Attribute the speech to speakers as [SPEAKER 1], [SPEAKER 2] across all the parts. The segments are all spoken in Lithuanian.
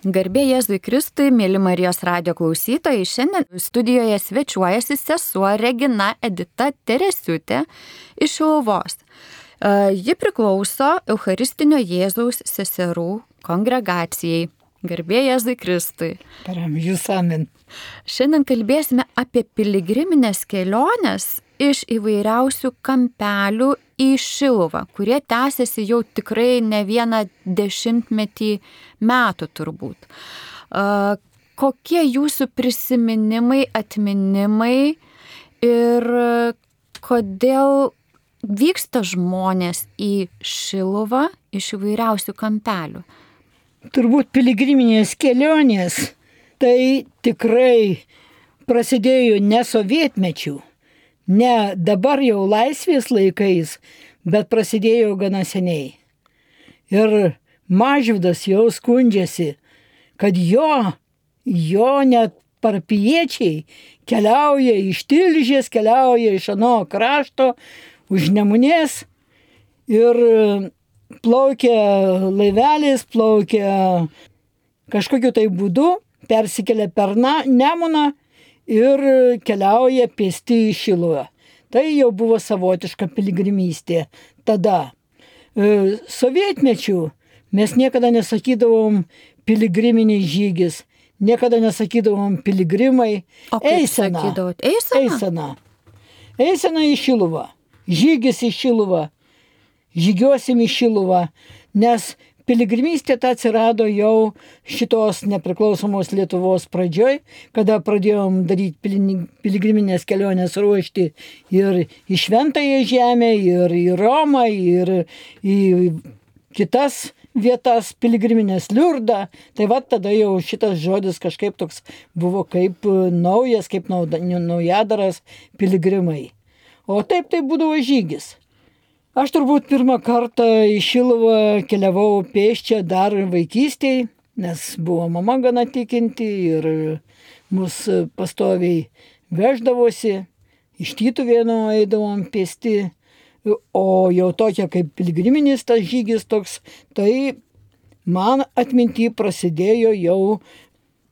[SPEAKER 1] Garbė Jėzui Kristui, mėly Marijos radijo klausytojai, šiandien studijoje svečiuojasi sesuo Regina Edita Teresiūtė iš Šiluvos. Ji priklauso Eucharistinio Jėzaus seserų kongregacijai. Garbė Jėzui Kristui.
[SPEAKER 2] Paramžius amen.
[SPEAKER 1] Šiandien kalbėsime apie piligriminės keliones iš įvairiausių kampelių į Šiluvą, kurie tęsiasi jau tikrai ne vieną dešimtmetį metų turbūt. Kokie jūsų prisiminimai, atminimai ir kodėl vyksta žmonės į Šiluvą iš įvairiausių kampelių?
[SPEAKER 2] Turbūt piligriminės kelionės tai tikrai prasidėjo ne sovietmečių, ne dabar jau laisvės laikais, bet prasidėjo gana seniai. Ir Mažvydas jau skundžiasi, kad jo net parapijiečiai keliauja iš Tilžės, keliauja iš ano krašto, už Nemunės ir plaukia laiveliais, plaukia kažkokiu tai būdu, persikelia per Nemuną ir keliauja pėsti į Šiluvą. Tai jau buvo savotiška piligrimystė tada. Sovietmečių mes niekada nesakydavom piligriminis žygis, niekada nesakydavom piligrimai.
[SPEAKER 1] O kaip sakydavot?
[SPEAKER 2] Eisena į Šiluvą. Žygis į Šiluvą. Žygiosim į Šiluvą, nes piligrimystė ta atsirado jau šitos nepriklausomos Lietuvos pradžioj, kada pradėjom daryti piligriminės kelionės ruošti ir į Šventąją žemę, ir į Romą, ir į kitas vietas piligriminės Liurdą. Tai va tada jau šitas žodis kažkaip toks buvo kaip naujas, kaip naujadaras piligrimai. O taip tai būdavo žygis. Aš turbūt pirmą kartą į Šiluvą keliavau pėsčia dar vaikystėje, nes buvo mama gana tikinti ir mus pastoviai veždavosi, iš Tytuvėnų eidavom pėsti, o jau tokia kaip piligriminis tas žygis toks, tai man atminty prasidėjo jau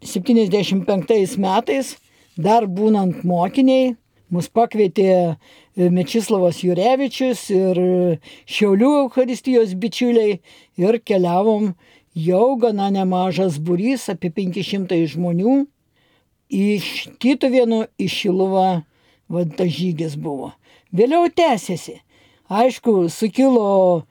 [SPEAKER 2] 75 metais, dar būnant mokiniai. Mus pakvietė Mečislavas Jurevičius ir Šiaulių Eucharistijos bičiuliai ir keliavom jau gana nemažas būrys, apie 500 žmonių. Iš Tytuvėnų į Šiluvą tas žygis buvo. Vėliau tęsėsi. Aišku, sukilo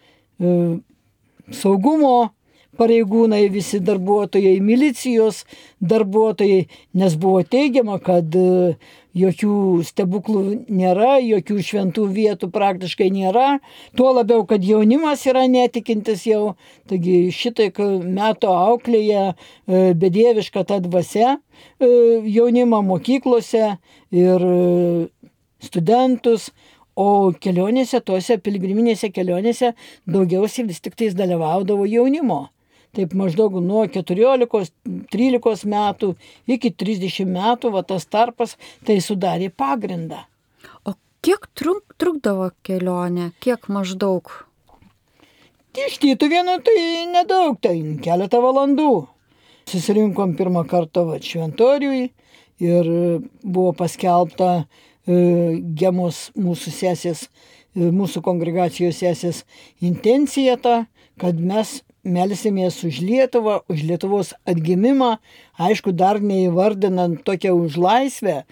[SPEAKER 2] saugumo pareigūnai, visi darbuotojai, milicijos darbuotojai, nes buvo teigiama, kad jokių stebuklų nėra, jokių šventų vietų praktiškai nėra, tuo labiau, kad jaunimas yra netikintis jau, taigi šitai metų auklėje bedieviška ta dvasia jaunimą mokyklose ir studentus, o kelionėse, tose piligriminėse kelionėse daugiausiai vis tik tais dalyvaudavo jaunimo. Taip maždaug nuo 14-13 metų iki 30 metų, va tas tarpas, tai sudarė pagrindą.
[SPEAKER 1] O kiek trukdavo kelionė? Kiek maždaug?
[SPEAKER 2] Iš Tytuvėnų tai nedaug, tai keletą valandų. Susirinkom pirmą kartą Šventoriui ir buvo paskelbta Gemos mūsų sesės, mūsų kongregacijos sesės intencija ta, kad mes melsimės už Lietuvą, už Lietuvos atgimimą, aišku, dar neįvardinant tokią už laisvę,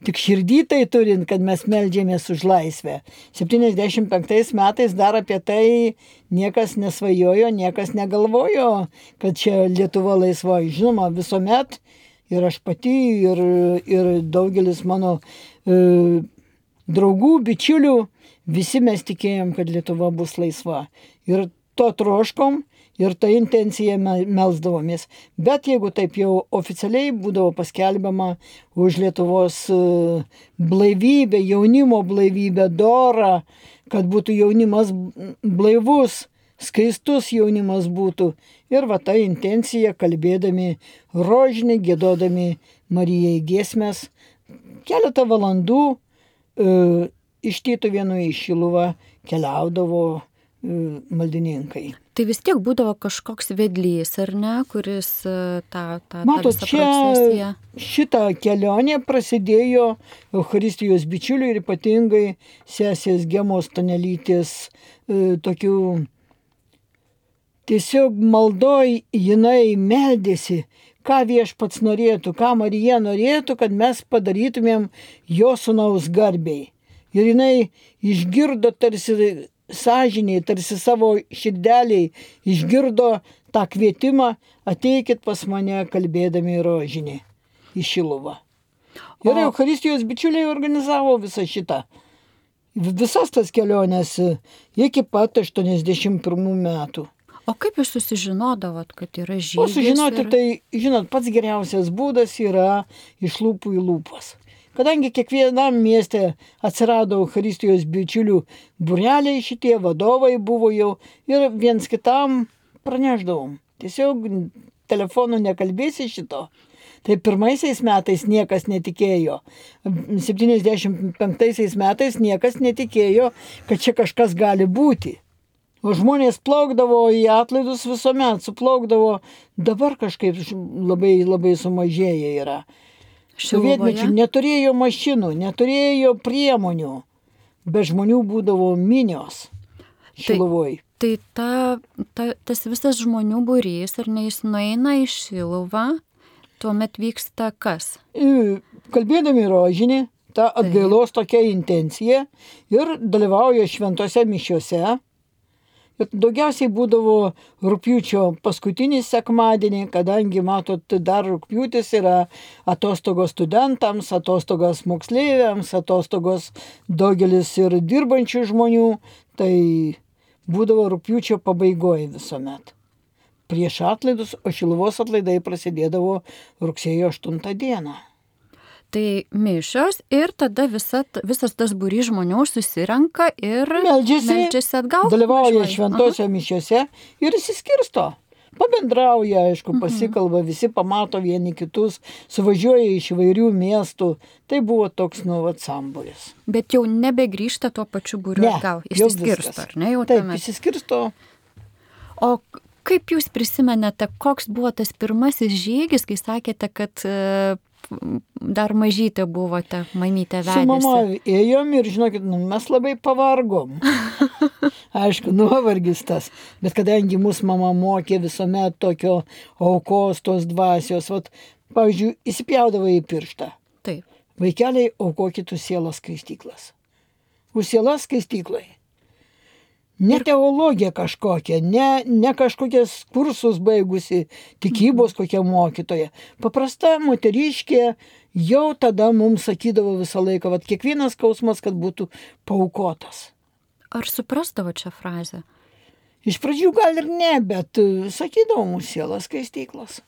[SPEAKER 2] tik širdį tai turint, kad mes meldžiamės už laisvę. 75 metais dar apie tai niekas nesvajojo, niekas negalvojo, kad čia Lietuva laisva. Žinoma, visuomet ir aš pati, ir daugelis mano draugų, bičiulių, visi mes tikėjom, kad Lietuva bus laisva. Ir to troškom. Ir tą intenciją melsdavomės. Bet jeigu taip jau oficialiai būdavo paskelbiama už Lietuvos blaivybę, jaunimo blaivybę, dorą, kad būtų jaunimas blaivus, skaistus jaunimas būtų. Ir va ta intencija, kalbėdami rožinį, giedodami Marijai giesmes, keletą valandų iš Tytuvėnų į Šiluvą keliaudavo maldininkai.
[SPEAKER 1] Tai vis tiek būdavo kažkoks vedlys, ar ne, kuris tą
[SPEAKER 2] Matot,
[SPEAKER 1] visą
[SPEAKER 2] čia
[SPEAKER 1] procesiją.
[SPEAKER 2] šitą kelionę prasidėjo Eucharistijos bičiulių ir ypatingai sesės Gemos Stanelytės tokių tiesiog maldoj jinai meldėsi, ką Viešpats norėtų, ką Marija norėtų, kad mes padarytumėm jo sūnaus garbei. Ir jinai išgirdo tarsi sąžiniai, tarsi savo širdeliai išgirdo tą kvietimą, ateikit pas mane kalbėdami rožinį į Šiluvą. Ir Eucharistijos bičiuliai organizavo visą šitą. Visas tas keliones iki pat 81 metų.
[SPEAKER 1] O kaip jūs susižinodavot, kad yra žygis?
[SPEAKER 2] O sužinoti, tai, žinot, pats geriausias būdas yra iš lūpų į lūpas. Kadangi kiekvienam mieste atsirado Eucharistijos bičiulių būreliai, šitie vadovai buvo jau ir viens kitam pranešdavom. Tiesiog telefonu nekalbėsi šito. Tai pirmaisiais metais niekas netikėjo. 75 metais niekas netikėjo, kad čia kažkas gali būti. O žmonės plaukdavo į atlaidus visuomet, suplaukdavo, dabar kažkaip labai, labai sumažėję yra. Sovietmečiu neturėjo mašinų, neturėjo priemonių, be žmonių būdavo minios Šiluvoj.
[SPEAKER 1] Tai tas visas žmonių būrys, ar ne, jis nueina į Šiluvą, tuomet vyksta kas?
[SPEAKER 2] Kalbėdami rožinį, ta atgailos tokia intencija ir dalyvauja šventose mišiose. Ir daugiausiai būdavo rugpjūčio paskutinį sekmadienį, kadangi, matot, dar rugpjūtis yra atostogos studentams, atostogos moksleiviams, atostogos daugelis ir dirbančių žmonių, tai būdavo rugpjūčio pabaigoje visuomet. Prieš atlaidus, o Šiluvos atlaidai prasidėdavo rugsėjo 8 dieną.
[SPEAKER 1] Tai mišios ir tada visas tas būrys žmonių susirenka ir meldžiasi atgal.
[SPEAKER 2] Dalyvauja šventose mišiose ir įsiskirsto. Pabendrauja, aišku, pasikalba, visi pamato vieni kitus, suvažiuoja iš įvairių miestų. Tai buvo toks sambūris.
[SPEAKER 1] Bet jau nebegrįžta tuo pačiu būriu atgal. Įsiskirsto, ar ne?
[SPEAKER 2] Taip, įsiskirsto.
[SPEAKER 1] O kaip jūs prisimenate, koks buvo tas pirmasis žygis, kai sakėte, kad dar mažytė buvote, mamytė vedėsi?
[SPEAKER 2] Su mama ėjom ir, žinokit, mes labai pavargom. Aišku, nuovargis tas. Bet kadangi mūsų mama mokė visuomet tokio aukos, tos dvasios, pavyzdžiui, įsipjaudavo į pirštą.
[SPEAKER 1] Taip.
[SPEAKER 2] Vaikeliai, aukokit už sielos skaistyklas. Už sielos skaistyklai. Ne teologija kažkokia, ne kažkokias kursus baigusi, tikybos kokia mokytoja. Paprasta moteriškė jau tada mums sakydavo visą laiką, kiekvienas skausmas, kad būtų paaukotas.
[SPEAKER 1] Ar suprasdavo čia frazę?
[SPEAKER 2] Iš pradžių gal ir ne, bet sakydavo mūsų sielos skaistyklos.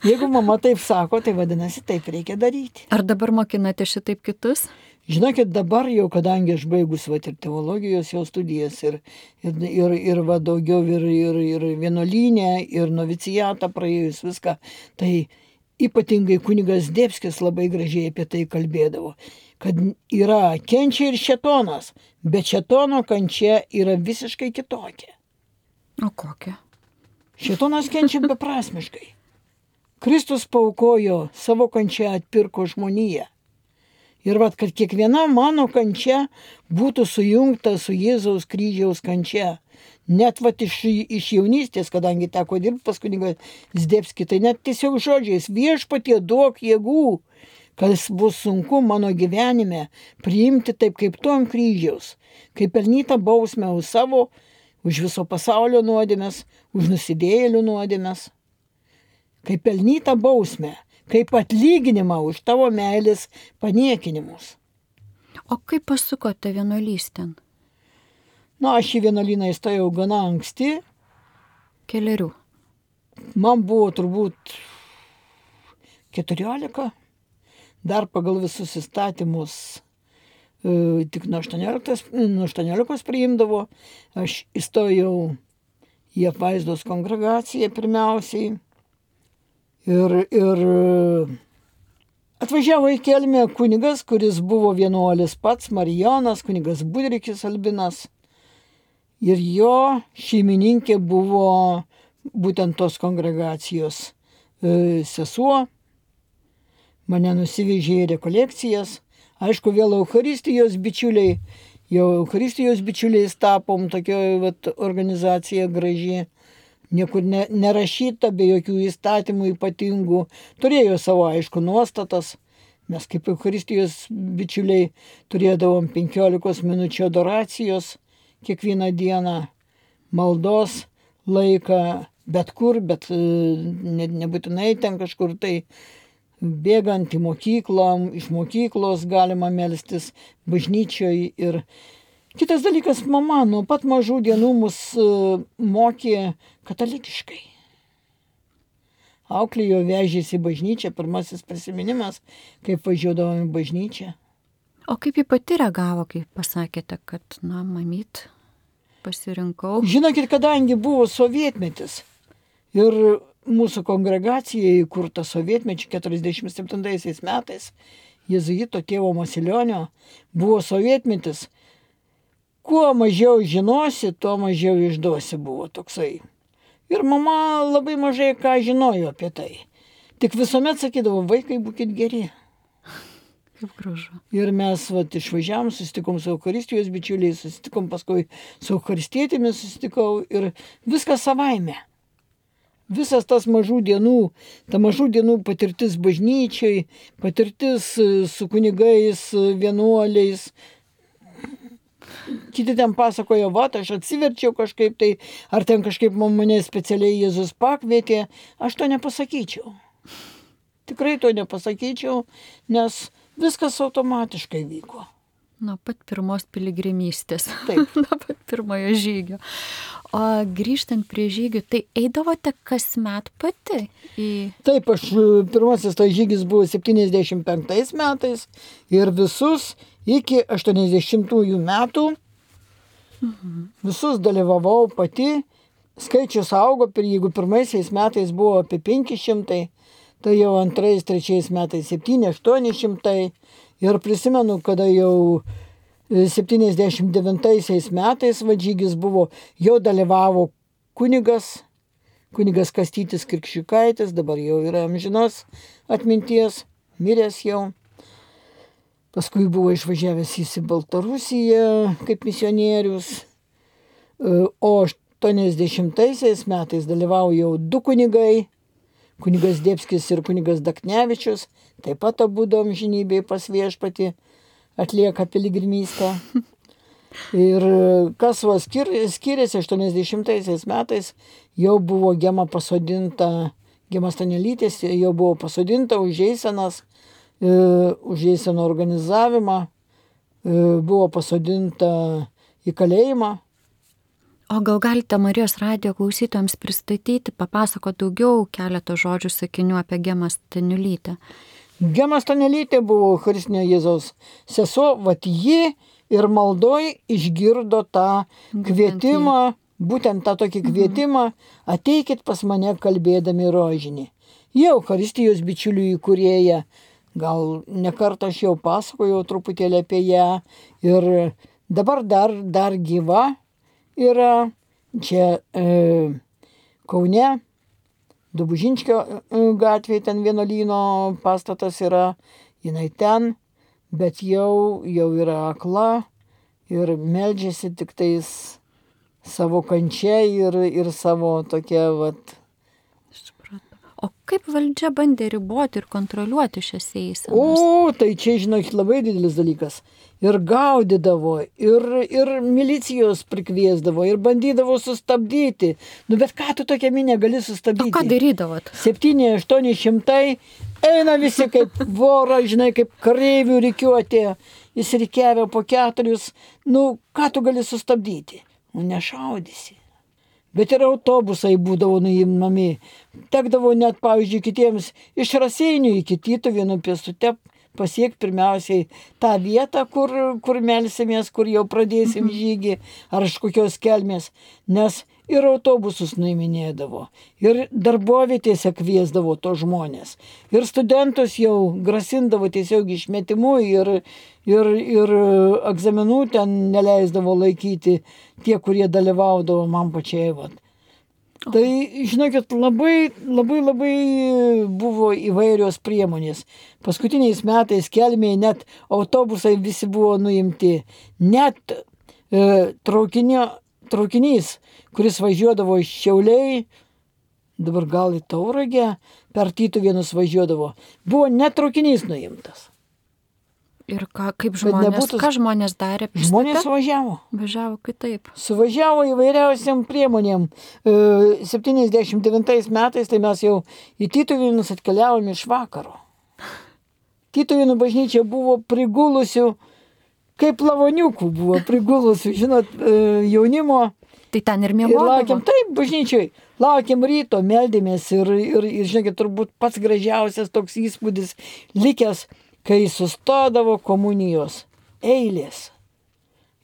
[SPEAKER 2] Jeigu mama taip sako, tai vadinasi, taip reikia daryti.
[SPEAKER 1] Ar dabar mokinate šitaip kitus?
[SPEAKER 2] Žinokit, dabar jau, kadangi aš baigus ir teologijos jau studijas ir daugiau ir vienuolynę, ir novicijatą praėjus viską, tai ypatingai kunigas Debskis labai gražiai apie tai kalbėdavo, kad yra kenčia ir šėtonas, bet šėtono kančia yra visiškai kitokia.
[SPEAKER 1] O kokia?
[SPEAKER 2] Šėtonas kenčia beprasmiškai. Kristus paaukojo savo kančią, atpirko žmoniją. Ir kad kiekviena mano kančia būtų sujungta su Jėzaus kryžiaus kančia. Net iš jaunystės, kadangi teko dirbti pas kunigą Zdebskį, tai net tiesiog žodžiais, Viešpatie duok jėgų, kas bus sunku mano gyvenime priimti taip kaip tu ant kryžiaus, kaip pelnytą bausmę už savo, už viso pasaulio nuodėmes, už nusidėjėlių nuodėmes, kaip pelnytą bausmę, kaip atlyginimą už tavo meilės paniekinimus.
[SPEAKER 1] O kaip pasukote vienuolystėn?
[SPEAKER 2] Aš į vienuolyną įstojau gana anksti.
[SPEAKER 1] Kelerių?
[SPEAKER 2] Man buvo turbūt 14. Dar pagal visus įstatymus tik nuo 18 priimdavo. Aš įstojau į apvaizdos kongregaciją pirmiausiai. Ir atvažiavo į Kelmę kunigas, kuris buvo vienuolis pats, Marijonas, kunigas Budrikis Albinas. Ir jo šeimininkė buvo būtent tos kongregacijos sesuo. Mane nusivežė į rekolekcijas. Aišku, vėl Eucharistijos bičiuliai. Jau Eucharistijos bičiuliais tapom, tokia organizacija graži. Niekur nerašyta, be jokių įstatymų ypatingų. Turėjo savo, aišku, nuostatas. Mes kaip Eucharistijos bičiuliai turėdavom 15 minučių adoracijos kiekvieną dieną, maldos laiką, bet kur, bet nebūtinai ten kažkur tai bėgant į mokyklą, iš mokyklos galima melstis bažnyčioj. Ir kitas dalykas, mama nuo pat mažų dienų mus mokė katalikiškai. Auklėjo, vežėsi į bažnyčią, pirmasis prisiminimas, kaip važiuodavom į bažnyčią.
[SPEAKER 1] O kaip ji pati reagavo, kai pasakėte, kad, mamyt, pasirinkau?
[SPEAKER 2] Žinokit, kadangi buvo sovietmetis ir mūsų kongregacija įkurta sovietmečiu 47 metais, jėzuito tėvo Masilionio, buvo sovietmetis, kuo mažiau žinosi, tuo mažiau išduosi buvo toksai. Ir mama labai mažai ką žinojo apie tai. Tik visuomet sakydavo, vaikai, būkit geri.
[SPEAKER 1] Kaip gražu.
[SPEAKER 2] Ir mes išvažiavom, susitikom su Eucharistijos bičiuliais, susitikom paskui su Eucharistietėmis, susitikau ir viskas savaime. Visas tas mažų dienų patirtis bažnyčiai, patirtis su kunigais, vienuoliais. Kiti ten pasakojo, aš atsiverčiau kažkaip tai, ar ten kažkaip mane specialiai Jėzus pakvietė, aš to nepasakyčiau. Tikrai to nepasakyčiau, nes viskas automatiškai vyko.
[SPEAKER 1] Nuo pat pirmos piligrimystės.
[SPEAKER 2] Taip.
[SPEAKER 1] Nuo pat pirmojo žygio. O grįžtant prie žygių, tai eidavote kasmet pati į...
[SPEAKER 2] Taip, pirmasis tas žygis buvo 75 metais ir visus iki 80 metų visus dalyvavau pati. Skaičius augo, jeigu pirmaisiais metais buvo apie 500, tai jau antrais, trečiais metais 700-800. Ir prisimenu, kada jau 79 metais žygis buvo, jau dalyvavo kunigas Kastytis Kirkščiukaitis, dabar jau yra amžinos atminties, miręs jau. Paskui buvo išvažiavęs į Baltarusiją kaip misionierius. O 80 metais dalyvavo jau 2 kunigai, kunigas Debskis ir kunigas Daknevičius, taip pat abudu amžinybėj pas viešpatį atlieka piligrimystę. Ir kas skiriasi 80 metais, jau buvo Gema pasodinta, Gema Stanelytės jau buvo pasodinta už Eiseno organizavimą, buvo pasodinta į kalėjimą.
[SPEAKER 1] O gal galite Marijos radijo klausytojams pristatyti, papasakoti daugiau keletą žodžių sakinių apie Gemą Stanelytę?
[SPEAKER 2] Gema Stanelytė buvo Eucharistinio Jėzaus sesuo, ji ir maldoj išgirdo tą kvietimą, būtent tą tokį kvietimą, ateikit pas mane kalbėdami rožinį. Jie Eucharistijos bičiulių įkūrėja, gal nekartą aš jau pasakojau truputėlį apie ją ir dabar dar gyva yra čia Kaune, Dobužinskio gatvėje, ten vienuolyno pastatas yra, jinai ten, bet jau yra akla ir meldžiasi tik tais savo kančia ir savo tokia
[SPEAKER 1] O kaip valdžia bandė riboti ir kontroliuoti šias eisenas?
[SPEAKER 2] O, tai čia, žinokit, labai didelis dalykas. Ir gaudydavo, ir milicijos prikviesdavo, ir bandydavo sustabdyti. Bet ką tu tokią minę gali sustabdyti?
[SPEAKER 1] O ką darydavot?
[SPEAKER 2] 700-800 eina visi kaip voro, žinai, kaip kareivių rikiuotė. Jis rikiavė po 4. Ką tu gali sustabdyti? Nešaudysi. Bet ir autobusai būdavo nuimami. Tekdavo net, pavyzdžiui, kitiems iš Raseinių iki Tytuvėnų pėstute pasiekti pirmiausiai tą vietą, kur melsimės, kur jau pradėsim žygį, ar iš kokios kelmės. Nes ir autobusus nuiminėdavo, ir darbovietėse kviesdavo to žmonės, ir studentus jau grasindavo tiesiog išmetimu ir egzaminų ten neleisdavo laikyti tie, kurie dalyvaudavo man pačiai. Vat. Tai, žinokit, labai buvo įvairios priemonės. Paskutiniais metais Kelmėje net autobusai visi buvo nuimti. Net traukinys, kuris važiuodavo iš Šiauliai, dabar gal į Tauragę, per Tytuvėnus važiuodavo, buvo net traukinys nuimtas.
[SPEAKER 1] Ir kaip žmonės, ką žmonės darė?
[SPEAKER 2] Žmonės važiavo.
[SPEAKER 1] Važiavo kitaip.
[SPEAKER 2] Suvažiavo įvairiausiam priemonėm. 79 metais tai mes jau į Tytuvėnus atkeliavome iš vakaro. Tytuvėnų bažnyčia buvo prigulusių, kaip lavoniukų buvo prigulusių, žinot, jaunimo.
[SPEAKER 1] Tai ten ir miegodavo.
[SPEAKER 2] Ir laukiam, taip, bažnyčiai. Laukiam ryto, meldėmės ir žinokit, turbūt pats gražiausias toks įspūdis likęs, kai sustodavo komunijos eilės.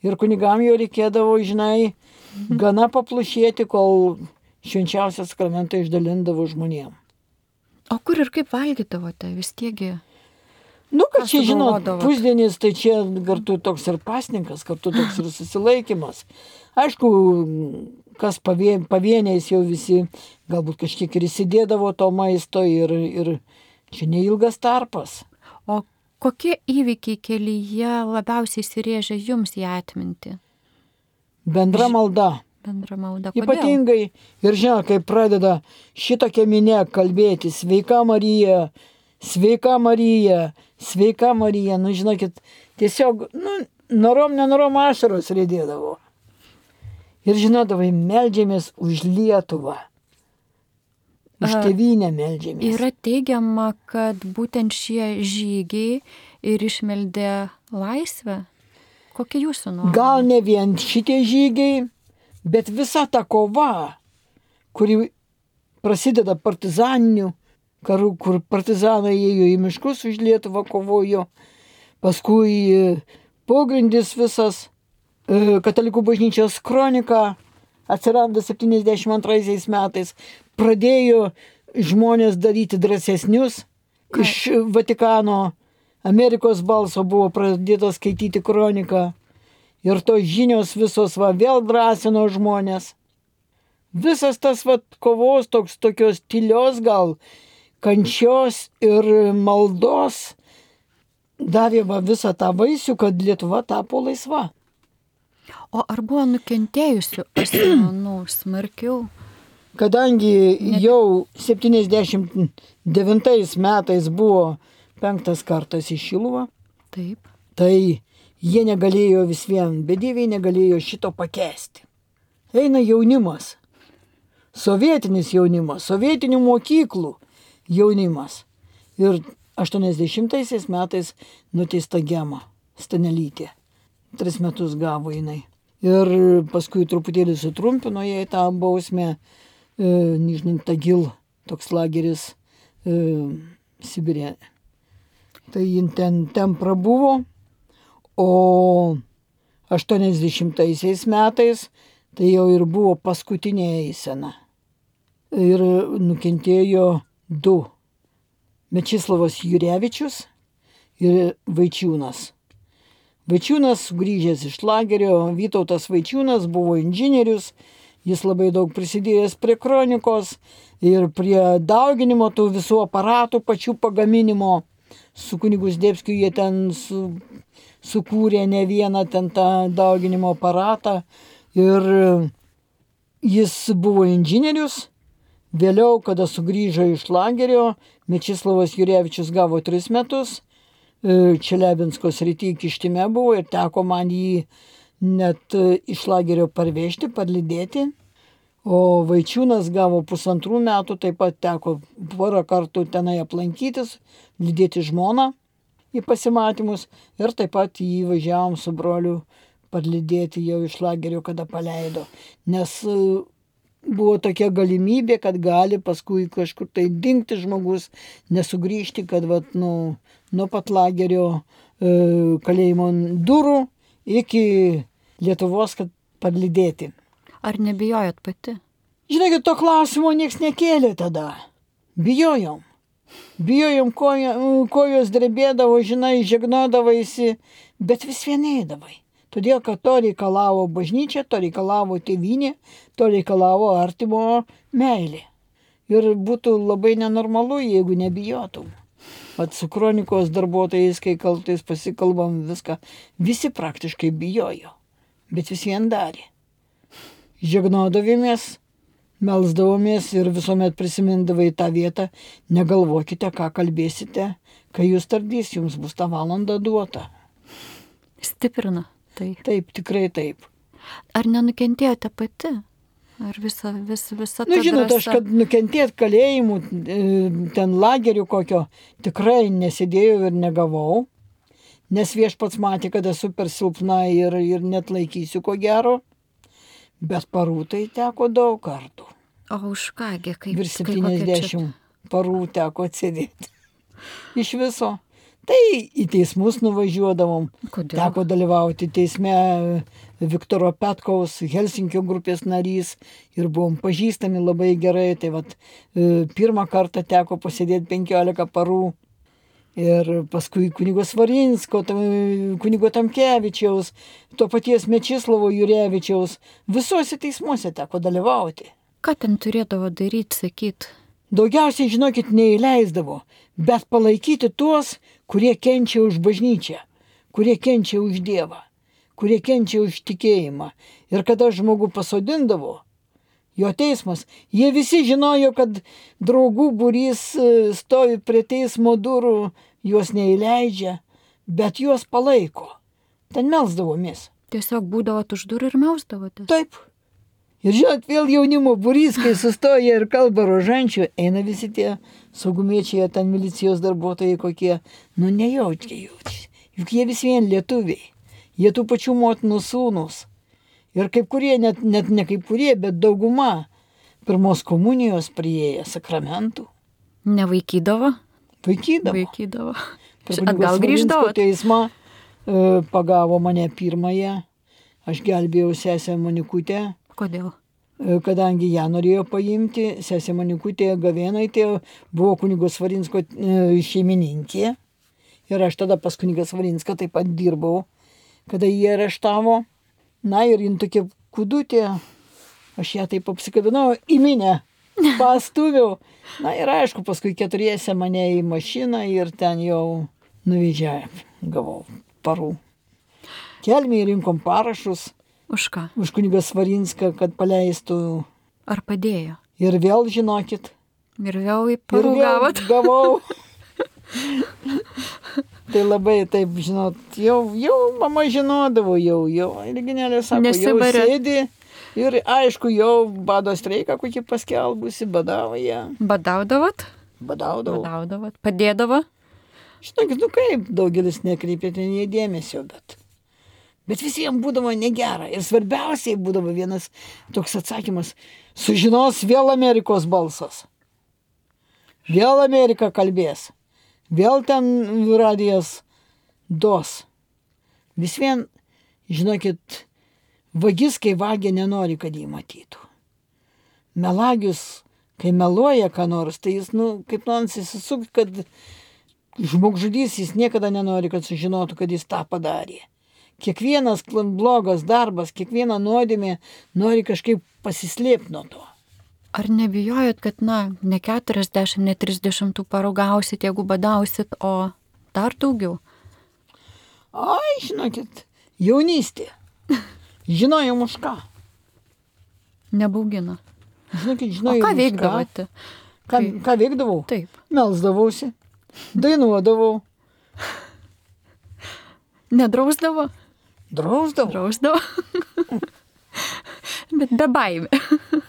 [SPEAKER 2] Ir kunigam jau reikėdavo, žinai, gana paplušėti, kol švenčiausią sakramentą išdalindavo žmonėm.
[SPEAKER 1] O kur ir kaip valgydavote vis tiegi?
[SPEAKER 2] Nu, kad čia, žinot, pusdienis, tai čia kartu toks ir pasninkas, kartu toks ir susilaikymas. Aišku, kas pavieniais jau visi galbūt kažkiek ir įsidėdavo to maisto ir čia neilgas tarpas.
[SPEAKER 1] O kokie įvykiai kelyje labiausiai įsirėžė jums į atmintį?
[SPEAKER 2] Bendra malda.
[SPEAKER 1] Bendra malda. Kodėl?
[SPEAKER 2] Ypatingai, ir žinot, kai pradeda šitokia minė kalbėti, sveika Marija, sveika Marija, sveika Marija, nu žinokit, tiesiog, nenorom ašaros rėdėdavo. Ir žinodavai, meldžiamės už Lietuvą. Už tėvynę meldžiamės.
[SPEAKER 1] Yra teigiama, kad būtent šie žygiai ir išmeldė laisvę. Kokia jūsų nuomonė?
[SPEAKER 2] Gal ne vien šitie žygiai, bet visa ta kova, kuri prasideda partizaniniu karu, kur partizanai ėjo į miškus už Lietuvą kovojo, paskui pogrindis visas, Katalikų bažnyčios kronika atsiranda 72 metais, pradėjo žmonės daryti drąsesnius. Iš Vatikano Amerikos balso buvo pradėta skaityti kroniką. Ir tos žinios visos vėl drąsino žmonės. Visas tas kovos tokios tylios gal, kančios ir maldos davė visą tą vaisių, kad Lietuva tapo laisva.
[SPEAKER 1] O ar buvo nukentėjusių asmenų smarkiau?
[SPEAKER 2] Kadangi jau 79 metais buvo 5 kartas į Šiluvą,
[SPEAKER 1] taip,
[SPEAKER 2] tai jie negalėjo vis vien, bedieviai negalėjo šito pakęsti. Eina jaunimas, sovietinis jaunimas, sovietinių mokyklų jaunimas. Ir 80 metais nuteista Gema Stanelytė. 3 metus gavo jinai. Ir paskui truputėlį sutrumpino jai tą bausmę, Nižnin Tagil, toks lageris Sibirė. Tai jin ten prabuvo, o 80 metais tai jau ir buvo paskutinė eisena. Ir nukentėjo 2. Mečislavas Jurevičius ir Vaičiūnas. Vaičiūnas grįžęs iš lagerio, Vytautas Vaičiūnas buvo inžinierius, jis labai daug prisidėjęs prie kronikos ir prie dauginimo tų visų aparatų pačių pagaminimo. Su kunigu Zdebskiu jie ten sukūrė ne vieną ten tą dauginimo aparatą ir jis buvo inžinierius. Vėliau, kada sugrįžo iš lagerio, Mečislavas Jurevičius gavo 3 metus. Čeliabinsko srity Kištime buvo ir teko man jį net iš lagerio parvežti, parlydėti. O Vaičiūnas gavo 1,5 metų, taip pat teko porą kartų tenai aplankytis, lydėti žmoną į pasimatymus ir taip pat jį važiavom su broliu parlydėti jau iš lagerio, kada paleido. Nes buvo tokia galimybė, kad gali paskui kažkur tai dingti žmogus, nesugrįžti, kad nuo pat lagerio kalėjimo durų iki Lietuvos, kad parlydėti.
[SPEAKER 1] Ar nebijojot pati?
[SPEAKER 2] Žinokit, to klausimo nieks nekėlė tada. Bijojom. Bijojom, kojos drebėdavo, žinai, žegnodavaisi, bet vis vien eidavai. Todėl, kad to reikalavo bažnyčia, to reikalavo tėvynė, to reikalavo artimo meilė. Ir būtų labai nenormalu, jeigu nebijotum. Vat su kronikos darbuotojais, kai kaltais pasikalbam viską, visi praktiškai bijojo, bet vis vien darė. Žegnodavomės, melsdavomės ir visuomet prisimindavai tą vietą, negalvokite, ką kalbėsite, kai jūs tardys, jums bus tą valandą duota.
[SPEAKER 1] Stiprina tai.
[SPEAKER 2] Taip, tikrai taip.
[SPEAKER 1] Ar nenukentėjote pati? Ar visa ta
[SPEAKER 2] Žinot,
[SPEAKER 1] drąsa?
[SPEAKER 2] aš kad nukentėt kalėjimų, ten lagerių kokio, tikrai nesėdėjau ir negavau, nes viešpats matė, kad esu per silpna ir net laikysiu ko gero, bet parų tai teko daug kartų.
[SPEAKER 1] O už kągi, kaip?
[SPEAKER 2] Virš
[SPEAKER 1] kokia čia-
[SPEAKER 2] 70 parų teko atsėdėti. Iš viso. Tai į teismus nuvažiuodavom.
[SPEAKER 1] Kodėl?
[SPEAKER 2] Teko dalyvauti teisme Viktoro Petkaus, Helsinkio grupės narys ir buvom pažįstami labai gerai. Tai vat, pirmą kartą teko pasėdėti 15 parų. Ir paskui kunigo Svarinsko, kunigo Tamkevičiaus, to paties Mečislovo Jurevičiaus. Visuose teismuose teko dalyvauti.
[SPEAKER 1] Ką ten turėdavo daryti, sakyti?
[SPEAKER 2] Daugiausiai, žinokit, neįleisdavo, bet palaikyti tuos, kurie kenčia už bažnyčią, kurie kenčia už Dievą, kurie kenčia už tikėjimą. Ir kada žmogų pasodindavo, jo teismas, jie visi žinojo, kad draugų būrys stovi prie teismo durų, juos neįleidžia, bet juos palaiko. Ten melsdavomės.
[SPEAKER 1] Tiesiog būdavot už durų ir melsdavotės?
[SPEAKER 2] Taip. Ir žinot, vėl jaunimo būrys, kai sustoja ir kalba rožančių, eina visi tie saugumiečiai, ten milicijos darbuotojai kokie, nejaučia. Juk jie vis vien lietuviai, jie tų pačių motinų sūnus. Ir kaip kurie, net ne kaip kurie, bet dauguma pirmos komunijos priėję sakramentų.
[SPEAKER 1] Nevaikydavo?
[SPEAKER 2] Vaikydavo.
[SPEAKER 1] Vaikydavo.
[SPEAKER 2] Per
[SPEAKER 1] Atgal grįždavo?
[SPEAKER 2] Teismą pagavo mane pirmąją, aš gelbėjau sesę Monikutę.
[SPEAKER 1] Kodėl?
[SPEAKER 2] Kadangi ją norėjo paimti, sesė Monikutė Gavėnaitė buvo kunigo Svarinsko šeimininkė. Ir aš tada pas kunigą Svarinską taip pat dirbau, kada jį areštavo. Na ir jin tokia kudutė, aš ją taip apsikabinau į minę, pastuviau. Na ir aišku, paskui keturiese mane į mašiną ir ten jau nuvežė, gavau parų. Kelmėje rinkom parašus.
[SPEAKER 1] Už ką?
[SPEAKER 2] Už kunigą Svarinską, kad paleistų.
[SPEAKER 1] Ar padėjo?
[SPEAKER 2] Ir vėl, žinokit.
[SPEAKER 1] Ir vėl į parų gavot?
[SPEAKER 2] Gavau. Tai labai taip, žinot, jau mama žinodavo, jau Reginėlė sako,
[SPEAKER 1] Nesibarė.
[SPEAKER 2] jau sėdi. Ir aišku, jau bado streiką kokį paskelbusi, badavo ją.
[SPEAKER 1] Badaudavot?
[SPEAKER 2] Badaudavo.
[SPEAKER 1] Badaudavot. Padėdavo?
[SPEAKER 2] Žinokit, kaip, daugelis nekreipė ten jie dėmesio, bet visiems būdavo negera. Ir svarbiausiai būdavo vienas toks atsakymas. Sužinos vėl Amerikos balsas. Vėl Amerika kalbės. Vėl ten radijas dos. Vis vien, žinokit, vagis, kai vagia, nenori, kad jį matytų. Melagius, kai meluoja ką nors, tai jis, kaip nors įsisuk, kad žmogžudys, jis niekada nenori, kad sužinotų, kad jis tą padarė. Kiekvienas blogas darbas, kiekviena nuodėmė nori kažkaip pasislėpti nuo to.
[SPEAKER 1] Ar nebijojot, kad, ne 40, ne 30 parų gausit, jeigu badausit, o dar daugiau?
[SPEAKER 2] Ai, žinokit, jaunystė. Žinojom už ką.
[SPEAKER 1] Nebaugina.
[SPEAKER 2] Žinokit,
[SPEAKER 1] O
[SPEAKER 2] žinojom
[SPEAKER 1] ką
[SPEAKER 2] už
[SPEAKER 1] veikdavote?
[SPEAKER 2] Ką veikdavau?
[SPEAKER 1] Taip.
[SPEAKER 2] Melsdavausi, dainuodavau.
[SPEAKER 1] Nedrausdavo?
[SPEAKER 2] Drausdavo.
[SPEAKER 1] Drausdavo. Bet be baimė.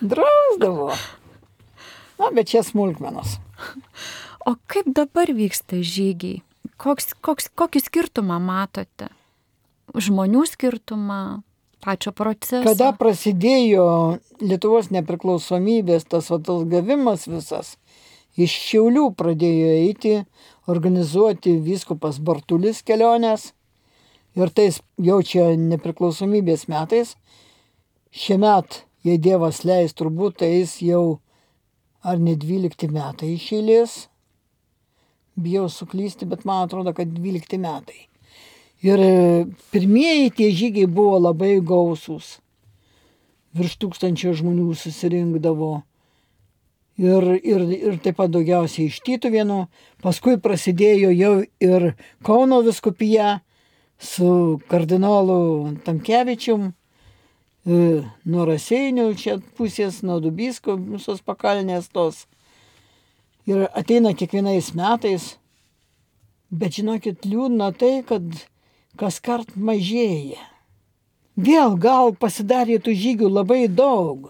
[SPEAKER 2] Drausdavo. Bet čia smulkmenos.
[SPEAKER 1] O kaip dabar vyksta žygiai? Kokį skirtumą matote? Žmonių skirtumą, pačio proceso?
[SPEAKER 2] Kada prasidėjo Lietuvos nepriklausomybės tas gavimas visas, iš Šiaulių pradėjo eiti, organizuoti vyskupas Bartulis keliones. Ir tais jau čia nepriklausomybės metais, šiemet jei Dievas leis, turbūt tai jis jau ar ne 12 metai iš eilės. Bijau suklysti, bet man atrodo, kad 12 metai. Ir pirmieji tie žygiai buvo labai gausūs. Virš 1000 žmonių susirinkdavo. Ir taip pat daugiausiai iš Tytuvėnų. Paskui prasidėjo jau ir Kauno vyskupija su kardinolu Tamkevičium, nuo Raseinių čia pusės, nuo Dubisko, visos pakalnės tos. Ir ateina kiekvienais metais. Bet žinokit, liūdna tai, kad kas kart mažėja. Vėl gal pasidarė tų žygių labai daug.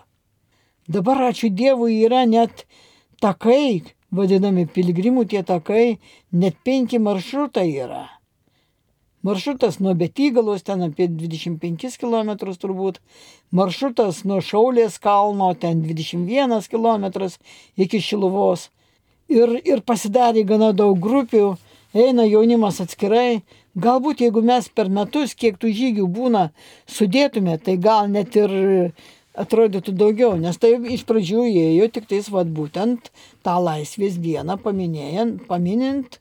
[SPEAKER 2] Dabar, ačiū Dievui, yra net takai, vadinami piligrimų tie takai, net 5 maršrutai yra. Maršrutas nuo Betygalos, ten apie 25 km turbūt. Maršrutas nuo Šaulės kalno, ten 21 km iki Šiluvos. Ir pasidarė gana daug grupių, eina jaunimas atskirai. Galbūt jeigu mes per metus, kiek tų žygių būna, sudėtume, tai gal net ir atrodytų daugiau, nes tai iš pradžių ėjo tik tais būtent tą laisvės dieną paminint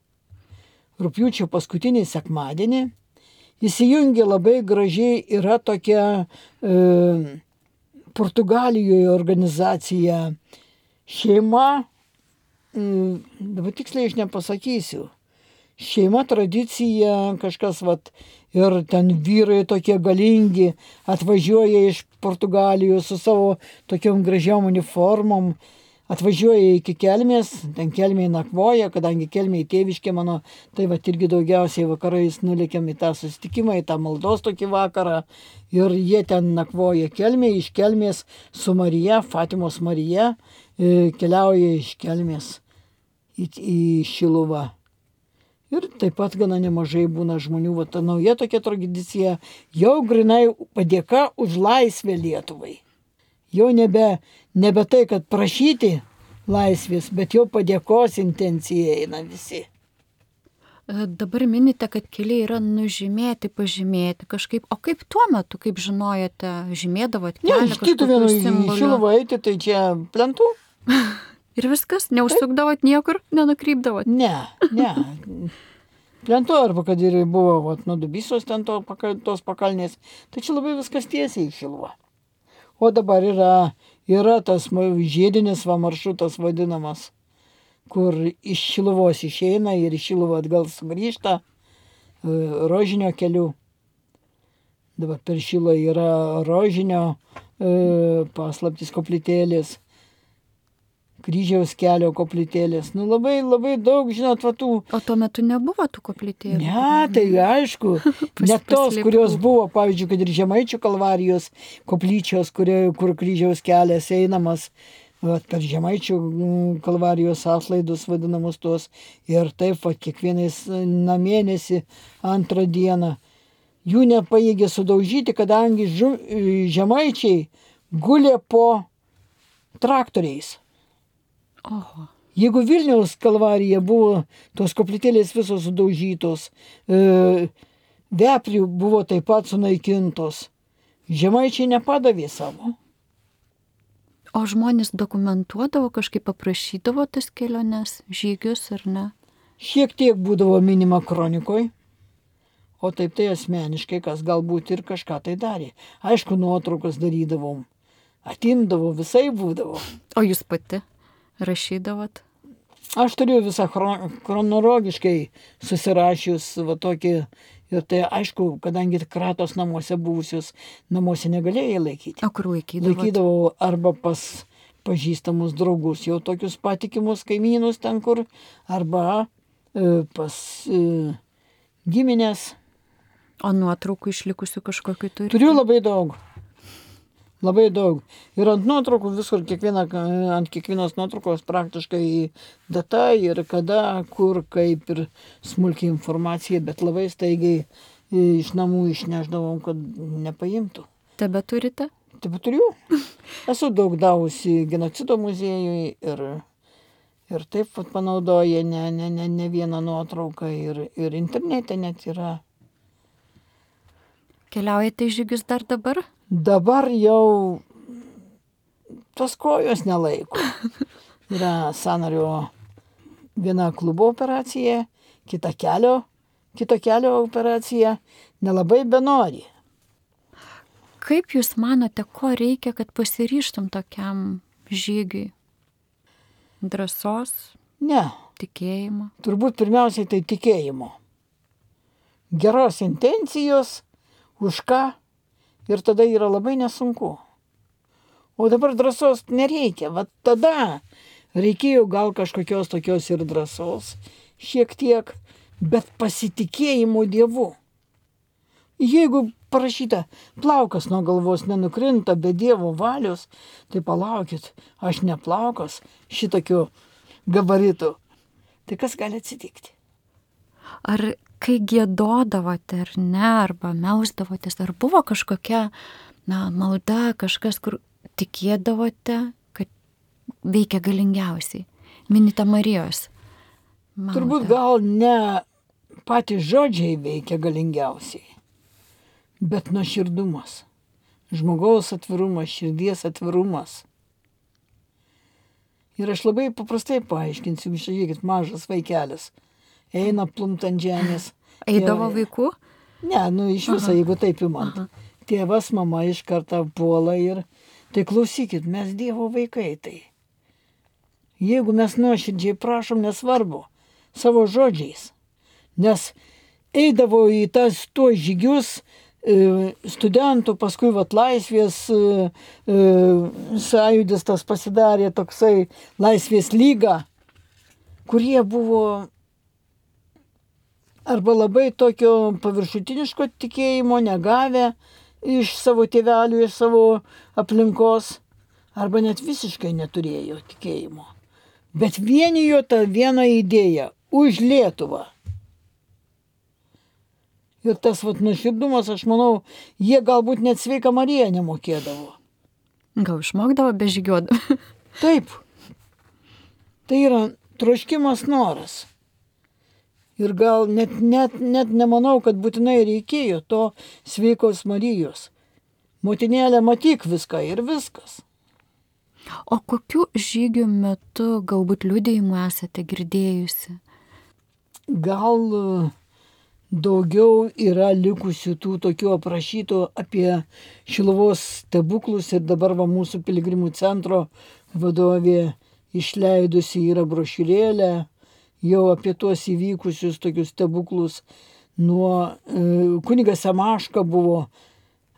[SPEAKER 2] rugpjūčio paskutinį sekmadienį. Įsijungė labai gražiai, yra tokia Portugalijoje organizacija šeima, dabar tiksliai aš nepasakysiu. Šeima, tradicija, kažkas ir ten vyrai tokie galingi atvažiuoja iš Portugalijos su savo tokiom gražiom uniformom, atvažiuoja iki Kelmės, ten Kelmėje nakvoja, kadangi Kelmėje tėviškė mano, tai irgi daugiausiai vakarais nulėkiam į tą susitikimą, į tą maldos tokį vakarą ir jie ten nakvoja Kelmėje, iš Kelmės su Marija, Fatimos Marija, keliauja iš Kelmės į Šiluvą. Ir taip pat gana nemažai būna žmonių, ta nauja tokia tradicija, jau grinai padėka už laisvę Lietuvai. Jau nebe tai, kad prašyti laisvės, bet jau padėkos intencija eina visi.
[SPEAKER 1] Dabar minite, kad keliai yra nužymėti, pažymėti kažkaip. O kaip tuo metu, kaip žinojote, žymėdavot kelią?
[SPEAKER 2] Ne, iš Tytuvėnų į Šiluvą eiti, tai čia plentų.
[SPEAKER 1] Ir viskas? Neužsukdavot niekur? Nenukrypdavot?
[SPEAKER 2] Ne. Plentu arba kad ir buvo nuo Dubysos ten tos pakalnės, tai čia labai viskas tiesiai į Šiluvą. O dabar yra tas žiedinis maršrutas vadinamas, kur iš Šiluvos išeina ir iš Šiluvą atgal sugrįžta rožinio keliu. Dabar per Šilą yra rožinio paslaptis koplytėlės, kryžiaus kelio koplytėlės. Labai daug, žinot, tų...
[SPEAKER 1] O tuo metu nebuvo tų koplytėlių?
[SPEAKER 2] Ne, tai aišku. Net tos, kurios buvo, pavyzdžiui, kad ir Žemaičių Kalvarijos koplyčios, kur kryžiaus kelias einamas, per Žemaičių Kalvarijos atlaidus vadinamus tos. Ir taip, kiekvienais mėnesį antrą dieną. Jų nepajėgė sudaužyti, kadangi Žemaičiai gulė po traktoriais.
[SPEAKER 1] Oho.
[SPEAKER 2] Jeigu Vilniaus Kalvarija buvo tos koplytėlės visos sudaužytos, Veprių buvo taip pat sunaikintos, Žemaičiai nepadavė savo.
[SPEAKER 1] O žmonės dokumentuodavo, kažkaip paprašydavo tas keliones, žygius ar ne?
[SPEAKER 2] Šiek tiek būdavo minima kronikoj, o taip tai asmeniškai, kas galbūt ir kažką tai darė. Aišku, nuotraukas darydavom, atimdavo, visai būdavo.
[SPEAKER 1] O jūs pati rašydavot?
[SPEAKER 2] Aš turiu visą chronologiškai susirašius tokį, ir tai aišku, kadangi kratos namuose buvusius, namuose negalėjai laikyti.
[SPEAKER 1] O kur laikydavot?
[SPEAKER 2] Laikydavau arba pas pažįstamus draugus, jau tokius patikimus kaimynus ten kur, arba pas giminės.
[SPEAKER 1] O nuotraukų išlikusių kažkokiu turi?
[SPEAKER 2] Turiu labai daug. Labai daug. Ir ant nuotraukų visur, ant kiekvienos nuotraukos praktiškai data ir kada, kur, kaip ir smulkiai informacija, bet labai staigiai iš namų išneždavom, kad nepaimtų.
[SPEAKER 1] Tebe turite?
[SPEAKER 2] Tebe turiu. Esu daug davusi genocido muziejui ir taip panaudoja ne vieną nuotrauką ir internete net yra.
[SPEAKER 1] Keliaujate į žygius dar dabar?
[SPEAKER 2] Dabar jau tos kojos nelaiko. Yra sąnario viena klubo operacija, kito kelio operacija, nelabai benori.
[SPEAKER 1] Kaip jūs manote, ko reikia, kad pasiryžtum tokiam žygiui? Drąsos?
[SPEAKER 2] Ne.
[SPEAKER 1] Tikėjimo?
[SPEAKER 2] Turbūt pirmiausiai tai tikėjimo. Geros intencijos, už ką, ir tada yra labai nesunku. O dabar drąsos nereikia. Va tada reikėjo gal kažkokios tokios ir drąsos, šiek tiek, bet pasitikėjimo Dievu. Jeigu parašyta, plaukas nuo galvos nenukrinta be Dievo valios, tai palaukit, aš ne plaukas šitokiu gabaritu. Tai kas gali atsitikti?
[SPEAKER 1] Ar kai giedodavote ar ne, arba melsdavotės, ar buvo kažkokia malda, kažkas, kur tikėdavote, kad veikia galingiausiai? Minite Marijos maldą.
[SPEAKER 2] Turbūt gal ne patys žodžiai veikia galingiausiai, bet nuoširdumas, žmogaus atvirumas, širdies atvirumas. Ir aš labai paprastai paaiškinsiu, žiūrėkit, mažas vaikelis, eina plumt ant žemės.
[SPEAKER 1] Eidavo vaikų?
[SPEAKER 2] Ne, iš viso, jeigu taip įmant. Tėvas, mama iš karto puola ir, tai klausykit, mes Dievo vaikai tai. Jeigu mes nuoširdžiai prašom, nesvarbu, savo žodžiais, nes eidavo į tuos žygius studentų, paskui laisvės sąjūdis tas pasidarė toksai laisvės lyga, kurie buvo arba labai tokio paviršutiniško tikėjimo negavę iš savo tėvelių, iš savo aplinkos, arba net visiškai neturėjo tikėjimo. Bet vienijo tą vieną idėją už Lietuvą. Ir tas nuoširdumas, aš manau, jie galbūt net Sveiką Mariją nemokėdavo.
[SPEAKER 1] Gal išmokdavo bežygiuodavo?
[SPEAKER 2] Taip. Tai yra troškimas, noras. Ir gal net nemanau, kad būtinai reikėjo to Sveikos Marijos. Motinėlė, matyk viską ir viskas.
[SPEAKER 1] O kokiu žygių metu galbūt liudijimų esate girdėjusi?
[SPEAKER 2] Gal daugiau yra likusių tų tokių aprašytų apie Šiluvos stebuklus ir dabar mūsų piligrimų centro vadovė išleidusi yra brošiūrėlę jau apie tuos įvykusius tokius stebuklus. Nuo kunigas Semaška buvo,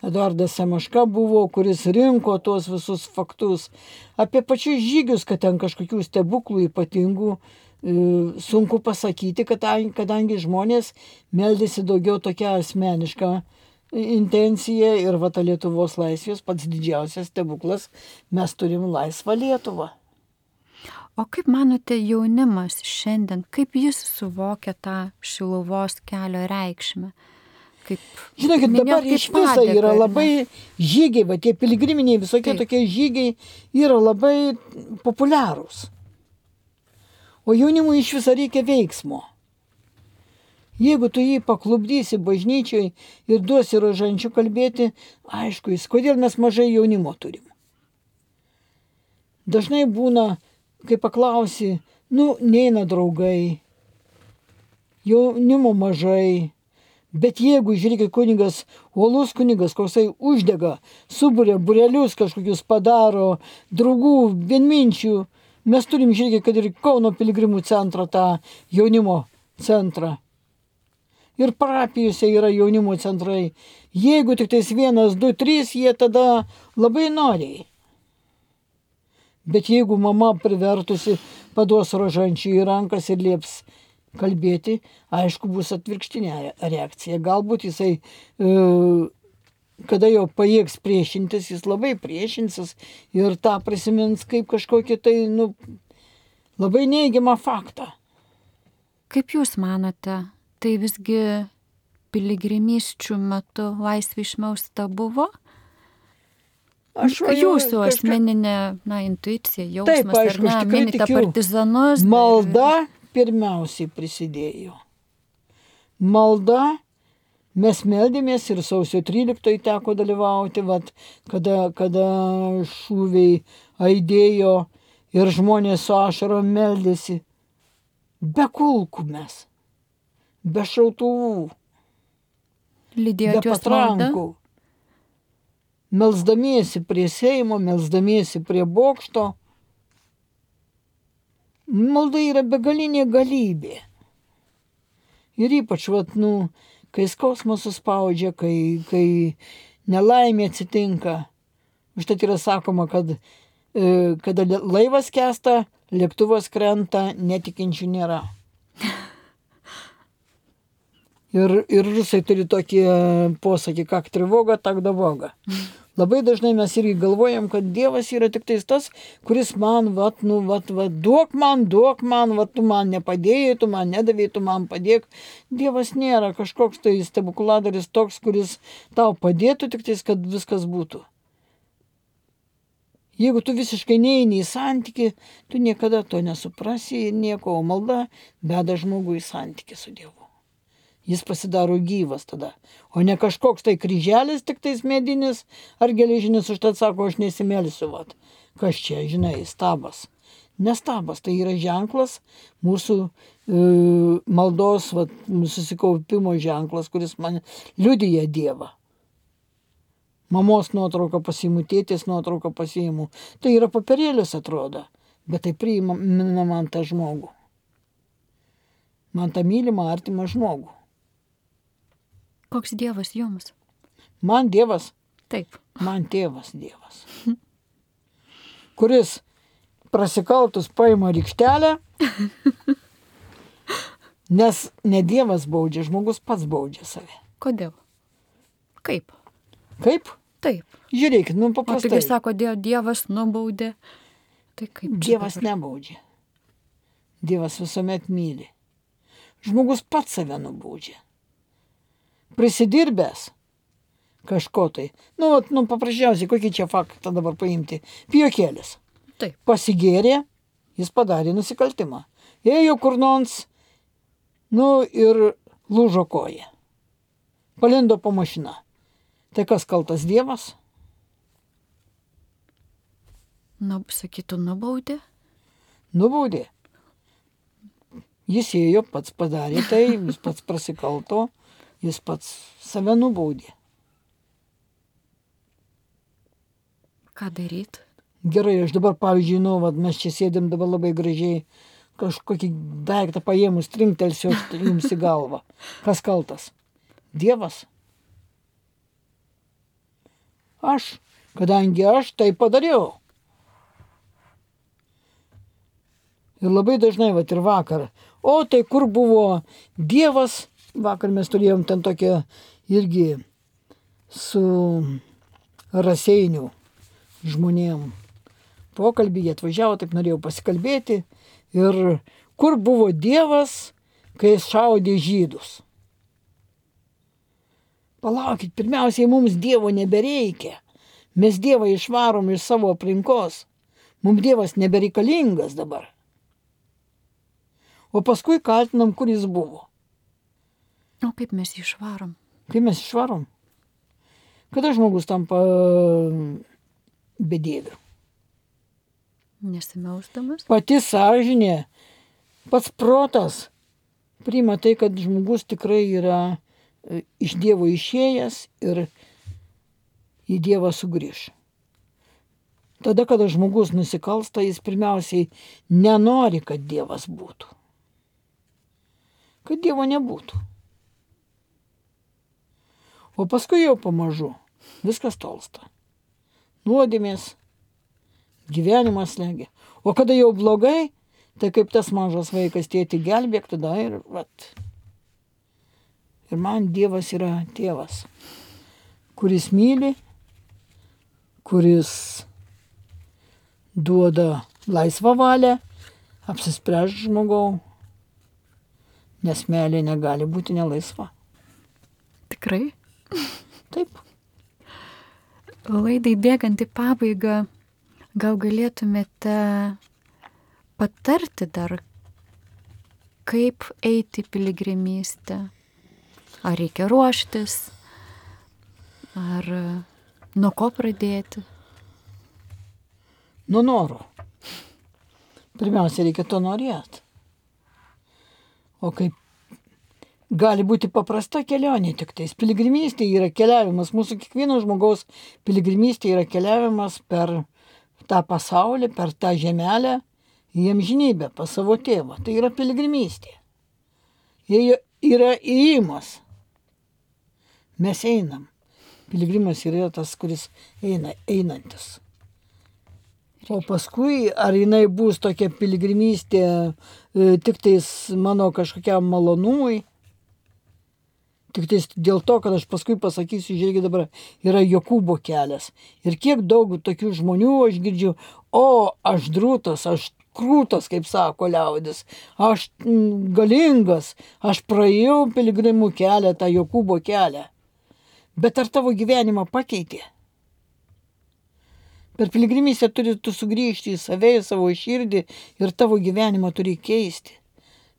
[SPEAKER 2] Eduardas Semaška buvo, kuris rinko tuos visus faktus. Apie pačius žygius, kad ten kažkokių stebuklų ypatingų, sunku pasakyti, kadangi žmonės meldėsi daugiau tokia asmeniška intencija ir ta Lietuvos laisvės pats didžiausias stebuklas, mes turim laisvą Lietuvą.
[SPEAKER 1] O kaip manote, jaunimas šiandien, kaip jis suvokia tą Šiluvos kelio reikšmę?
[SPEAKER 2] Žinokit, dabar iš viso yra labai žygiai, tie piligriminiai visokie tokie žygiai yra labai populiarūs. O jaunimui iš viso reikia veiksmo. Jeigu tu jį paklubdysi bažnyčiai ir duosi rožančių kalbėti, aišku, kodėl mes mažai jaunimo turim. Dažnai būna, kai paklausi, neina draugai, jaunimo mažai, bet jeigu, žiūrėkit, kunigas, uolus kunigas, koksai uždega, suburia burelius kažkokius padaro, draugų, vienminčių, mes turim, žiūrėkit, kad ir Kauno piligrimų centro tą jaunimo centrą. Ir parapijose yra jaunimo centrai. Jeigu tik tais 1, 2, 3, jie tada labai noriai. Bet jeigu mama privertusi paduos rožančių į rankas ir lieps kalbėti, aišku, bus atvirkštinė reakcija. Galbūt jisai, kada jau pajėgs priešintis, jis labai priešinsis ir tą prisimins kaip kažkokį tai, labai neigiamą faktą.
[SPEAKER 1] Kaip jūs manote, tai visgi piligrimysčių metu laisvė išmausta buvo? Jūsų asmeninė intuicija, jausmas,
[SPEAKER 2] taip, aišku,
[SPEAKER 1] ar ne, minite partizanus?
[SPEAKER 2] Malda pirmiausiai prisidėjo. Malda Mes meldėmės ir sausio 13 teko dalyvauti, vat, kada šūviai aidėjo ir žmonės su ašarom meldėsi. Be kulkų mes, be šautuvų,
[SPEAKER 1] Lydėjot
[SPEAKER 2] be
[SPEAKER 1] juos malda?
[SPEAKER 2] patrankų. Melsdamiesi prie Seimo, melsdamiesi prie bokšto. Malda yra begalinė galybė. Ir ypač, vat, kai skausmas suspaudžia, kai nelaimė atsitinka. Užtat yra sakoma, kad kada laivas skęsta, lėktuvas krenta, netikinčių nėra. Ir rusai turi tokį posakį, как тревога, так довога. Labai dažnai mes irgi galvojam, kad Dievas yra tik tas, kuris man, duok man, tu man nepadėjai, tu man nedavėjai, tu man padėk. Dievas nėra kažkoks tai stebukladaris toks, kuris tau padėtų, tik kad viskas būtų. Jeigu tu visiškai neini į santykį, tu niekada to nesuprasi ir nieko, o malda veda žmogų į santykį su Dievu. Jis pasidaro gyvas tada, o ne kažkoks tai kryželis tik tais medinis ar geležinis, užtat sako, aš nesimelsiu, vat. Kas čia, žinai, stabas. Nestabas, tai yra ženklas, mūsų maldos, vat, susikaupimo ženklas, kuris man liudija Dievą. Mamos nuotrauką pasiimu, tėtės nuotrauką pasiimu. Tai yra papirėlis atrodo, bet tai priima man tą žmogų. Man tą mylimą, artimą žmogų.
[SPEAKER 1] Koks Dievas jums?
[SPEAKER 2] Man Dievas.
[SPEAKER 1] Taip.
[SPEAKER 2] Man tėvas Dievas. Kuris prasikaltus paima rykštelę, nes ne Dievas baudžia, žmogus pats baudžia save.
[SPEAKER 1] Kodėl? Kaip?
[SPEAKER 2] Kaip?
[SPEAKER 1] Taip.
[SPEAKER 2] Žiūrėkit, paprastai.
[SPEAKER 1] O taigi sako, Dievas nubaudė. Tai kaip?
[SPEAKER 2] Dievas nebaudžia. Dievas visuomet myli. Žmogus pats save nubaudžia. Prisidirbęs kažko tai. Paprasčiausiai, kokį čia faktą dabar paimti. Pijokėlis.
[SPEAKER 1] Taip.
[SPEAKER 2] Pasigėrė, jis padarė nusikaltimą. Ėjo kur nors, ir lūžo koja. Palindo po mašiną. Tai kas kaltas Dievas?
[SPEAKER 1] Sakytų, nubaudė?
[SPEAKER 2] Nubaudė. Jis ėjo, pats padarė tai, jis pats prasikalto. Jis pats save nubaudė.
[SPEAKER 1] Ką daryt?
[SPEAKER 2] Gerai, aš dabar, pavyzdžiui, mes čia sėdėm dabar labai gražiai, kažkokį daiktą paėmus, trinktelsiu jums į galvą. Kas kaltas? Dievas? Aš, kadangi aš tai padariau. Ir labai dažnai, ir vakar. O tai kur buvo Dievas? Vakar mes turėjom ten tokią irgi su Raseinių žmonėm pokalbį, jie atvažiavo, taip norėjau pasikalbėti. Ir kur buvo Dievas, kai jis šaudė žydus? Palaukit, pirmiausiai mums Dievo nebereikia. Mes Dievą išvarom iš savo aplinkos. Mums Dievas nebereikalingas dabar. O paskui kaltinam, kur jis buvo.
[SPEAKER 1] O kaip mes jį išvarom?
[SPEAKER 2] Kaip mes išvarom? Kada žmogus tampa bedieviu?
[SPEAKER 1] Nesimelstamas?
[SPEAKER 2] Pati sąžinė, pats protas priima tai, kad žmogus tikrai yra iš Dievo išėjęs ir į Dievą sugrįš. Tada, kada žmogus nusikalsta, jis pirmiausiai nenori, kad Dievas būtų. Kad Dievo nebūtų. O paskui jau pamažu viskas tolsta. Nuodėmės, gyvenimas slegia. O kada jau blogai, tai kaip tas mažas vaikas, tėti gelbėk, tada ir man Dievas yra tėvas, kuris myli, kuris duoda laisvą valią, apsispręs žmogau, nes meilė negali būti nelaisva.
[SPEAKER 1] Tikrai?
[SPEAKER 2] Taip.
[SPEAKER 1] Laidai bėgant į pabaigą, gal galėtumėte patarti dar, kaip eiti piligrimystę? Ar reikia ruoštis? Ar nuo ko pradėti?
[SPEAKER 2] Nuo noro. Pirmiausia, reikia to norėti. O kaip gali būti paprasta kelionė tik tais. Piligrimystė yra keliavimas. Mūsų kiekvieno žmogaus piligrimystė yra keliavimas per tą pasaulį, per tą žemelę į amžinybę, pas savo tėvą. Tai yra piligrimystė. Jie yra įėjimas. Mes einam. Piligrimas yra tas, kuris einantis. O paskui, ar jinai bus tokia piligrimystė tik tais mano kažkokiam malonumui, tik tais dėl to, kad aš paskui pasakysiu, žiūrėkit dabar, yra Jokūbo kelias. Ir kiek daug tokių žmonių aš girdžiu, aš drūtas, aš krūtas, kaip sako liaudis, aš galingas, aš praėjau piligrimų kelią, tą Jokūbo kelią. Bet ar tavo gyvenimą pakeitė? Per piligrimystę turi tu sugrįžti į save, į savo širdį ir tavo gyvenimą turi keisti.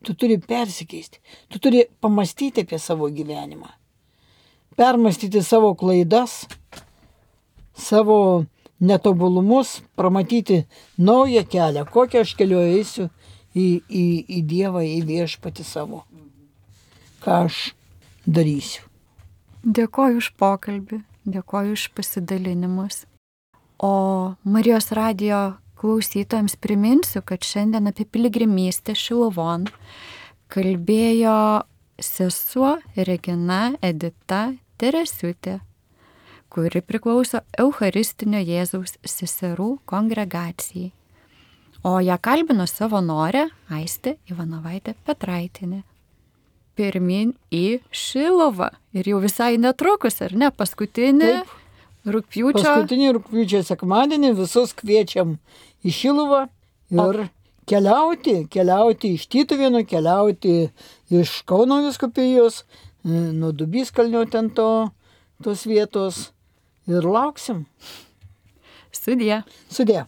[SPEAKER 2] Tu turi persikeisti. Tu turi pamastyti apie savo gyvenimą. Permastyti savo klaidas, savo netobulumus, pramatyti naują kelią, kokią aš keliu eisiu į Dievą, į viešpatį savo. Ką aš darysiu.
[SPEAKER 1] Dėkoju už pokalbį, dėkoju už pasidalinimus. O Marijos radijo klausytojams priminsiu, kad šiandien apie piligrimystę Šiluvon kalbėjo sesuo Regina Edita Teresiutė, kuri priklauso Eucharistinio Jėzaus seserų kongregacijai. O ją kalbino savanorė Aistė Ivanovaitė Petraitinė. Pirmin į Šiluvą. Ir jau visai netrukus, ar ne? Paskutinį rugpjūčio
[SPEAKER 2] sekmadienį visus kviečiam į Šiluvą ir keliauti iš Tytuvėnų, keliauti iš Kauno vyskupijos, nuo Dubyskalnio ten tos vietos ir lauksim.
[SPEAKER 1] Sudie.
[SPEAKER 2] Sudie.